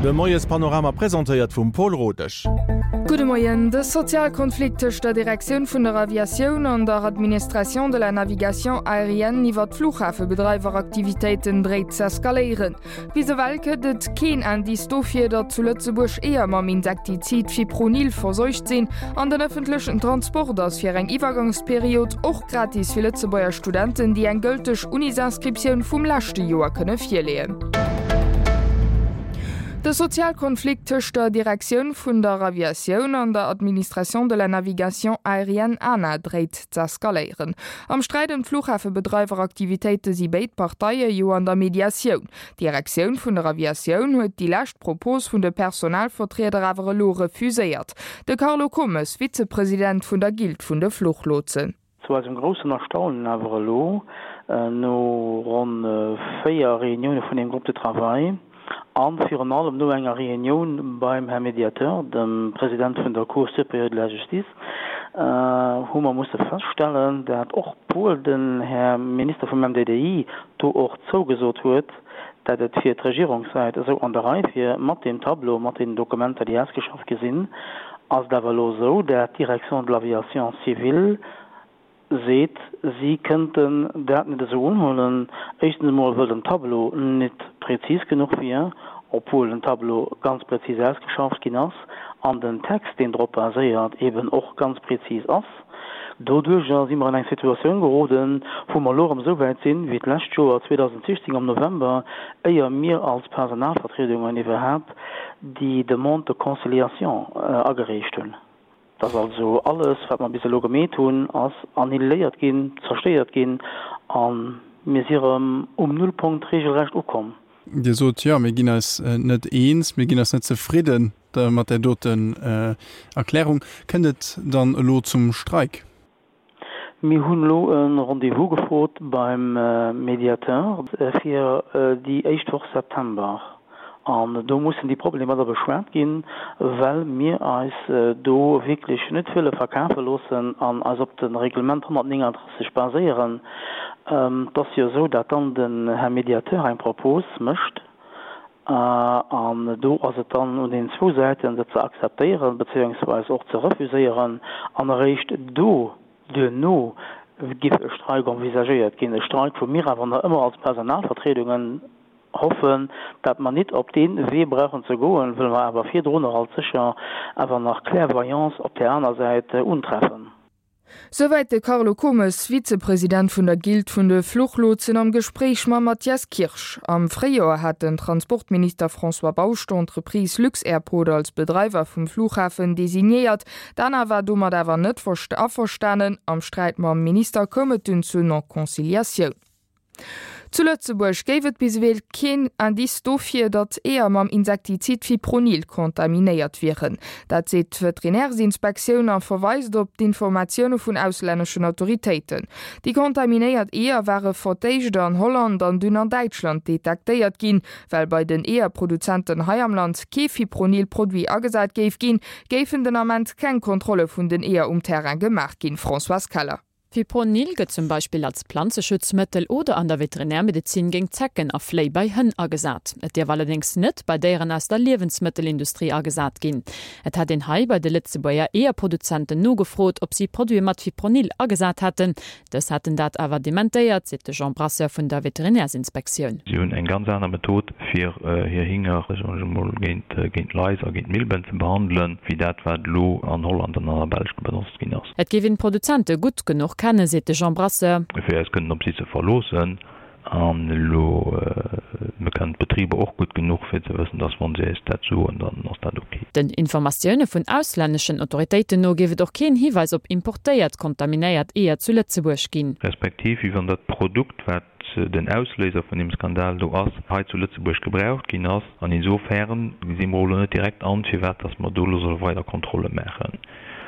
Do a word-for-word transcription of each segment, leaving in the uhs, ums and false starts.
De Moiespanorama presentéiert vum Paul Rodesch. Gudde Moien. De Sozialkonflikt tëscht der Direktioun vun der Aviatioun an der Administration de la Navigation Aérienne iwwer d'Fluchhafebedreiweraktivitéiten dréit z'eskaléieren. Bis ewell gëtt et keen Indice dofir, datt zu Lëtzebuerg Eeër mam Insektizid Fipronil verseucht sinn an den ëffentlechen Transport ass fir eng Iwwergangsperiod och gratis fir Lëtzebuerger Studenten, déi eng gëlteg Unisinscriptioun vum leschte Joer kënne virleeën. De Sozialkonflikt tëscht der Direktioun vun der Aviatioun an der Administration de la Navigation Aérienne, ANA, dréit z'eskaléieren. Am Sträit ëm d'Fluchhafebedreiweraktivitéite si béid Parteie jo an der Mediatioun. D'Direktioun vun der Aviatioun huet déi lescht Propos vun de Personalvertrieder awer elo refuséiert. De Carlo Komes, Vizepresident vun der Guilde vun de Fluchlotsen. Zu eisem groussen Erstaunen awer elo, no ronn véier Reunioune vun deem Groupe de travail a virun allem no enger Reunioun beim Här Médiateur, dem President vun der Cour supérieure de la Justice, hu mer musse feststellen, dat och obwuel den Här Minister vum M D D I do och zougesot huet, dat et fir d'Regierungssäit esou an der Rei wier mat deem Tableau, mat deenen Dokumenter, déi ausgeschafft gi sinn, ass et awer elo esou, dat d'Direction de l'aviation civile seet, si kënnten dat net esou unhuelen, éischtens emol wëll den Tableau net prezis genuch wier, obwuel den Tableau ganz prezis ausgeschafft ginn ass an den Text, deen drop baséiert, eben och ganz prezis ass. Doduerjer si mer an eng Situatioun geroden, wou mer elo erëm esou wäit sinn, wéi d'lescht Joer zweedausendsiechzéng am November, éier mir als Personalvertriedungen iwwerhaapt déi Demande de conciliation agereecht hunn. Dass also alles, wat mer bis elo gemeet hunn, ass annihiléiert ginn, zerstéiert ginn a mir si erëm um Nullpunkt regelrecht ukomm. Dir sot, jo, mir ginn eis net eens, mir ginn eis net zefridden mat där doten Erklärung. Kënnt et dann elo zum Streik? Mir hunn elo e Rendez-vous gefrot beim Médiateur fir déi éischt Woch September. An do mussen déi Problemer da beschwat ginn, well mir eis do wierklech net wëlle verkafe loossen an eis op de Reglement honnertnénganddrësseg baséieren. Et ass jo esou, dat dann den Här Médiateur eng Propos mécht an do ass et dann un den zwou Säiten, se ze akzeptéieren beziéungsweis och ze refuséieren an eréischt do duerno giff e Streik envisagéiert ginn, e Streik, wou mir awer nach ëmmer als Personalvertriedungen hoffen, dat mer nit op dee Wee brauchen ze goen, wëll mer awer virdrunner alt sécher awer nach Clairvoyance op där aner Säit untreffen. Souwäit de Carlo Komes, Vizepresident vun der Guilde vun de Fluchlotsen am Gespréich mam Mathias Kirsch. Am Fréijoer hat den Transportminister François Bausch d'Entreprise Lux-Airport als Bedreiwer vum Flughafen designéiert. D'ANA war domat awer net averstanen. Am Sträit mam Minister koum et dunn zur Non-Conciliatioun. Zu Lëtzebuerg géif et bis ewell keen Indice dofir, datt Eeër mam Insektizid Fipronil kontaminéiert wieren. Dat seet d'Veterinärsinspektioun a verweist op d'Informatioune vun auslänneschen Autoritéiten. Déi kontaminéiert Eeër ware fir d'éischt an Holland an dunn an Däitschland detektéiert ginn. Well bei den Eeërproduzenten hei am Land kee Fipronil-Produit agesat géif ginn, géifen den Ament keng Kontrolle vun den Eeër um Terrain gemaach ginn. Françoise Keller. Fipronil gëtt zum Beispill als Planzeschutzmëttel oder an der Veterinärmedezin géint Zecken a Fléi bei Hënn agesat. Et dierf allerdéngs net bei Déieren aus der Liewensmëttelindustrie agesat ginn. Et hätt een hei bei de Lëtzebuerger Eeërproduzenten nogefrot, ob si Produite mat Fipronil agesat hätten. Dës hätten dat awer dementéiert, seet de Jean Brasseur vun der Veterinärsinspektioun. Si hunn eng ganz aner Method fir hir Hinger, soen ech emol, géint géint Lais a géint Milben ze behandelen, wéi dat wat elo an Holland an an der Belsch benotzt ginn ass. Et géif een d'Produzente gutt genuch kennen, seet de Jean Brasseur. Fir eis kënnen op si ze verloossen. An elo, mir kennen d'Betriber och gutt genuch, fir ze wëssen, dass wa si eis dat soen, dann ass dat ok. Den Informatioune vun auslänneschen Autoritéiten no géif et och keen Hiweis op importéiert kontaminéiert Eeër zu Lëtzebuerg ginn. Respektiv wéi wann dat Produkt, wat den Ausléiser vun deem Skandal do ass, hei zu Lëtzebuerg gebraucht ginn ass. An insofern gesi mer och elo net direkt an, firwat dass mer do elo solle weider Kontrolle maachen.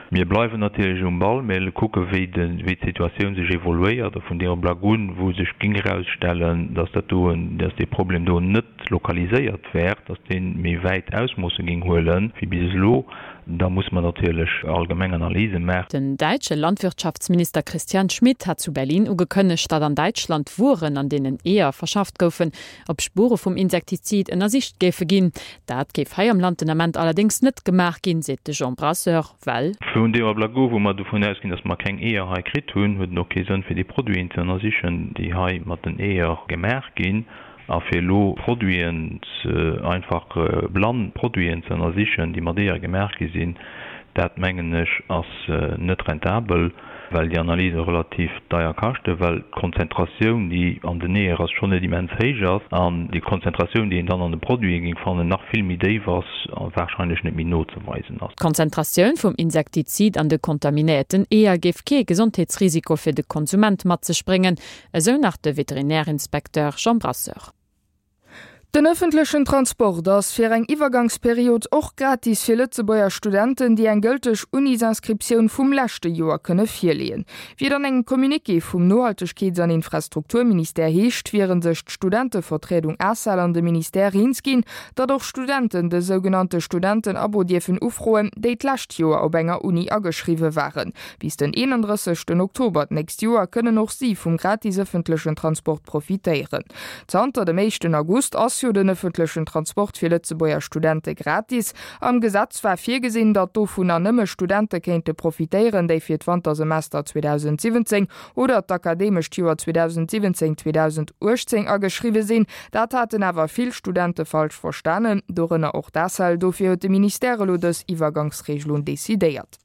Mir bleiwen natierlech um Ball, mir kucke wéi d'Situatioun sech evoluéiert a vun deem Ablack un, wou sech géing erausstellen, dass dat do, dass dee Problem do net lokaliséiert wär, dass dee méi wäit Ausmoosse géing huele wéi bis elo, Da muss mer natierlech allgemeng Analyse maachen. Den däitsche Landwirtschaftsminister Christian Schmidt hat zu Berlin ugekënnegt, datt an Däitschland Wueren, an deenen Eeër verschafft goufen, op Spuere vum Insektizid ënnersicht géife ginn. Dat géif hei am Land den Ament allerdéngs net gemaach ginn, seet de Jean Brasseur, well. Vun deem Ablack u wou mer dovun ausginn, datt mer keng Eeër hei kritt hunn, huet et och kee Sënn fir déi Produiten ze ënnersichen, déi hei mat den Eeër gemaach ginn. A fir elo Produiten ze, einfach blann Produiten ze ënnersichen, déi mat Eeër gemaach gi sinn, dat mengen ech ass net rentabel, well déi Analyse relativ deier kaschten, well d'Konzentratioun, déi an den Eeër ass, schonn net immens héich ass an déi Konzentratioun, déi een dann an de Produite géing fannen, nach vill méi déif ass a warscheinlech net méi nozeweisen ass. D'Konzentratioun vum Insektizid an de kontaminéierten Eeër géif kee Gesondheetsrisiko fir de Konsument mat sech bréngen, esou nach de Veterinärinspekteur Jean Brasseur. Den ëffentlechen Transport ass fir eng Iwwergangsperiod och gratis fir Lëtzebuerger Studenten, déi eng gëlteg Unisinscriptioun vum leschte Joer kënne virleeën. Wéi et an engem Communiqué vum Nohaltegkeets an Infrastrukturministère heescht, wiere sech d'Studentevertriedung ACEL an de Ministère eens ginn, datt och Studenten de sougenannte Studentenabo dierfen ufroen, déi d'lescht Joer op enger Uni ageschriwwe waren. Bis den eenandrëssegsten Oktober d'nächst Joer kënnen och si vum gratis ëffentlechen Transport profitéieren. Zanter dem éischten August ass jo den ëffentlechen Transport fir Lëtzebuerger Studente gratis. Am Gesetz war virgesinn, datt dovunner nëmme Studente kéinte profitéieren, déi fir d'Wantersemester zweedausendsiwwenzéng oder d'akademescht Joer zweedausendsiwwenzéng zweedausendachtzéng ageschriwwe sinn. Dat haten awer vill Studente falsch verstanen, dorënner och d'ACEL. Dofir huet de Ministère elo dës Iwwergangsregelung decidéiert.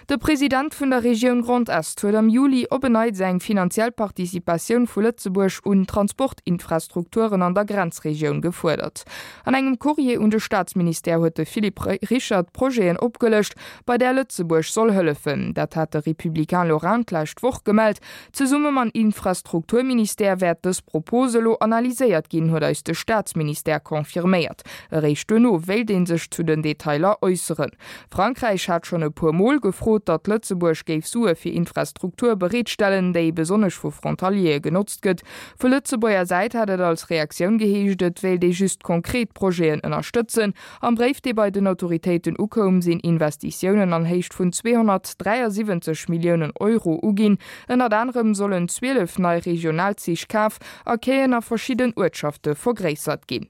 De President vun der Regioun Grand Est huet am Juli op en Neits eng finanziell Participatioun vu Lëtzebuerg un Transportinfrastrukturen an der Grenzregioun gefuerdert. An engem Courrier un de Staatsministère huet de Philippe Richert Projeten opgelëscht, bei där Lëtzebuerg soll hëllefen. Dat hat de Républicain Lorrain d'lescht Woch gemellt. Zesumme mam Infrastrukturministère wäert dës Propos elo analyséiert ginn, huet eis de Staatsministère confirméiert. Eréischt duerno wéilt ee sech zu den Detailer äusseren. Frankräich hat schonn e puer Mol gefrot, datt Lëtzebuerg géif Sue fir Infrastruktur bereetstellen, déi besonnesch vu Frontaliere genotzt gëtt. Vu Lëtzebuerger Säit hat et als Reaktioun geheescht, et wéilt ee just konkret Projeten ënnerstëtzen. Am Bréif, dee bei den Autoritéiten ukoum, sinn Investitiounen an Héicht vun zweehonnertdräiasiwwenzeg Milliounen Euro uginn. Ënnert anerem sollen zwielef nei Regionalzich kaf a Quaien a verschidden Uertschafte vergréissert ginn.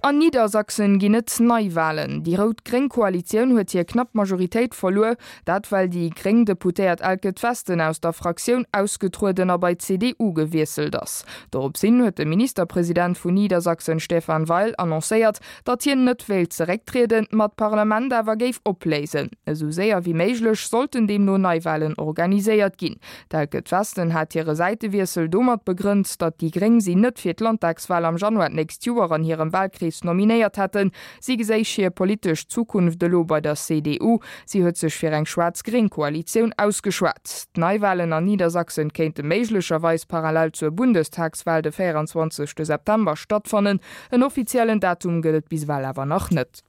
An Niedersachsen ginn et Neiwalen. Déi rout-gréng Koalitioun huet hir knapp Majoritéit verluer. Dat well déi gréng Deputéiert Elke Twesten aus der Fraktioun ausgetrueden a bei d'C D U gewiesselt ass. Dorops hin huet de Ministerpresident vun Niedersachsen Stefan Weil annoncéiert, datt hien net wéilt zerécktrieden, ma d'Parlament awer géif opléisen. Esou séier wéi méiglech sollten deemno Neiwalen organiséiert ginn. D'Elke Twesten hat hire Säitewiessel domat begrënnt, datt déi Gréng si net fir d'Landtagswal am Januar d'nächst Joer an hirem Walkrees nominéiert hätten. Si geséich hir politesch Zukunft elo bei der C D U. Si huet sech fir eng schwaarz-gréng Koalitioun ausgeschwat. D'Neiwalen an Niedersachsen kéinte méiglecherweis parallel zur Bundestagswal de véieranzwanzegste September stattfannen. En offiziellen Datum gëtt et bis ewell awer nach net.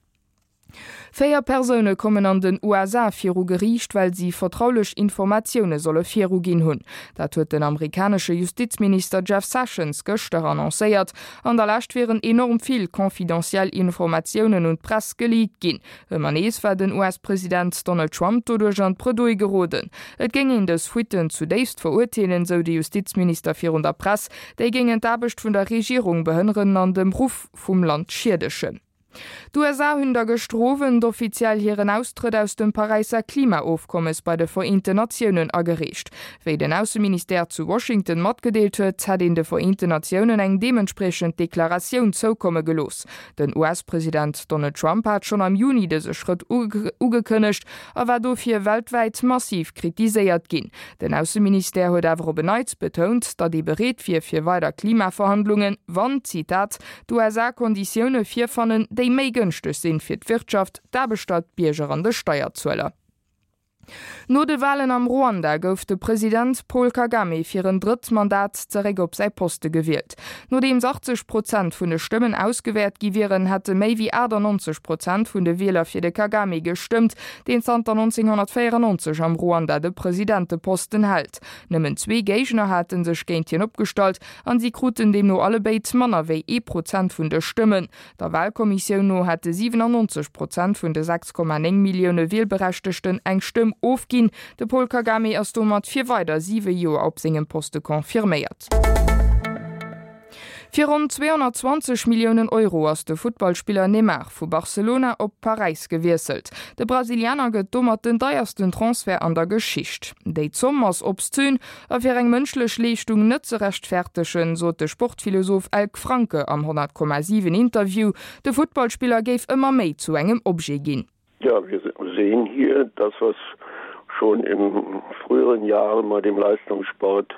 Véier Persoune kommen an den U S A viru Geriicht, well si vertraulech Informatioune solle viruginn hunn. Dat huet den amerikanesche Justizminister Jeff Sessions gëschter annoncéiert. An der Lescht wieren enorm vill confidentiel Informatiounen un d'Press geleakt ginn. Ëmmer nees war den U S-President Donald Trump doduerch an d'Bredouille geroden. Et géing een dës Fuitten zudéifst verurteelen, sou de Justizminister virun der Press. Déi géingen d'Aarbecht vun der Regierung behënneren an dem Ruff vum Land schiedegen. D'U S A hunn da gëschter Owend offiziell hiren Austrëtt aus dem Paräisser Klimaofkommes bei de Vereenten Natiounen agereecht. Wéi den Ausseministère zu Washington matgedeelt huet, hätt een de Vereenten Natiounen eng deementspriechend Deklaratioun zoukomme gelooss. Den U S-President Donald Trump hat schonn am Juni dëse Schrëtt ugekënnegt a war dofir weltwäit massiv kritiséiert ginn. Den Ausseministère huet awer op en Neits betount, datt ee bereet wier fir weider Klimaverhandlungen, wann, Zitat, d'U S A Konditioune virfannen, déi méi gënschteg sinn fir d'Wirtschaft, d'Aarbechter, d'Bierger an de Steierzueler. No de Walen am Ruanda gouf de President Paul Kagame fir en drëtt Mandat zeréck op säi Poste gewielt. Nodeems achtzeg Prozent vun de Stëmmen ausgewäert gi wieren, hätte méi wéi achtannonzeg Prozent vun de Wieler fir de Kagame gestëmmt, deen zanter nonzénghonnertvéierannonzeg am Ruanda de Presidenteposten hält. Nëmmen zwee Géigner hate sech géint hien opgestallt an si kruten deemno allebéid manner wéi ee Prozent vun de Stëmmen. Der Walkommissioun no hätte siwenannonzeg Prozent vun de sechs Komma néng Millioune Wielberechtegten eng Stëmm ofginn. De Paul Kagame ass domat fir weider siwe Joer op sengem Poste confirméiert. Fir ronn zweehonnertzwanzeg Milliounen Euro ass de Futtballspiller Neymar vu Barcelona op Paräis gewiesselt. De Brasilianer gëtt domat den deiersten Transfert an der Geschicht. Déi Zomm ass obszön a fir eng mënschlech Leeschtung net ze rechtfertegen, sot de Sportphilosoph Elk Franke am honnert Komma siwen Interview. De Futtballspiller géif ëmmer méi zu engem Objet ginn. Ja, wir sehen hier das, was schon in früheren Jahren mal dem Leistungssport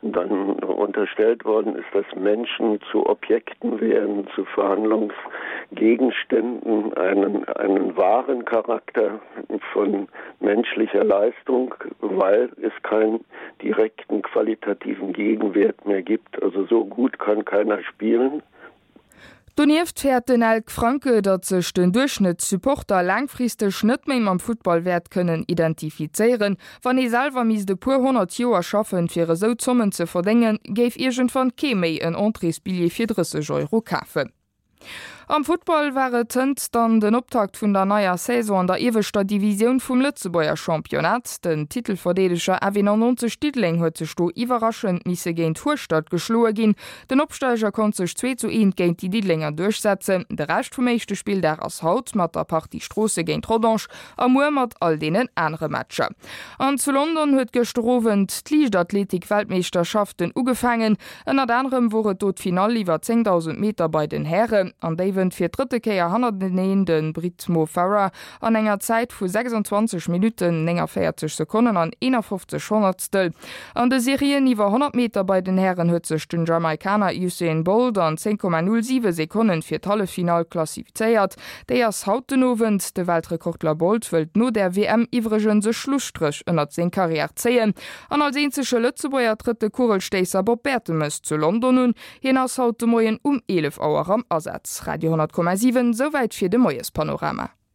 dann unterstellt worden ist, dass Menschen zu Objekten werden, zu Verhandlungsgegenständen, einen, einen wahren Charakter von menschlicher Leistung, weil es keinen direkten qualitativen Gegenwert mehr gibt. Also so gut kann keiner spielen. Donieft fäert den Elk Franke, datt sech den Duerchschnëttssupporter laangfristeg net méi mam Futtball wäert kënnen identifizéieren. Wann ee selwer misst e puer honnert Joer schaffen, fir esou Zommen ze verdéngen, géif iergendwann kee méi en Entréesbilljee fir drësseg Euro kafen. Am Futtball war et hënt dann den Optakt vun der neier Saison an der ieweschter Divisioun vum Lëtzebuerger Championnat. Den Titelverdeedeger F eenannonzeg Diddeleng huet sech do iwwerraschend misse géint Hueschtert geschloe ginn. Den Opsteiger konnt sech zwee zu eent géint déi Diddelenger duerchsetzen. De Rescht vum éischte Spilldag ass haut mat der Partie Stroosse géint Rodange a muer mat all deenen anere Matcher. An zu London huet gëschter Owend d'Liichtathletik-Weltmeeschterschaften ugefaangen. Ënnert anerem wor et do d'Finall iwwer zéngdausend Meter bei den Hären. An déi wënnt fir d'drëtte Kéier hannerteneen de Brit Mo Farah an enger Zäit vu sechsundzwanzeg Minutten, néngavéierzeg Sekonnen an eenafofzeg Honnertstel. An de Serien iwwer honnert Meter bei den Hären huet sech den Jamaikaner Usain Bolt an zéng Komma null siwe Sekonnen fir d'Halleffinall klassifizéiert. Déi ass haut den Owend. De Weltrekordler Bolt wëllt no der W M iwwregens e Schlusstréch ënnert seng Karriär zéien. An als eenzege Lëtzebuerger trëtt de Kugelstéisser Bob Bertemes zu London un. Hien ass haut de Moien um eelef Auer am Asaz. Radio honnert Komma siwen, souwäit fir de Moiespanorama.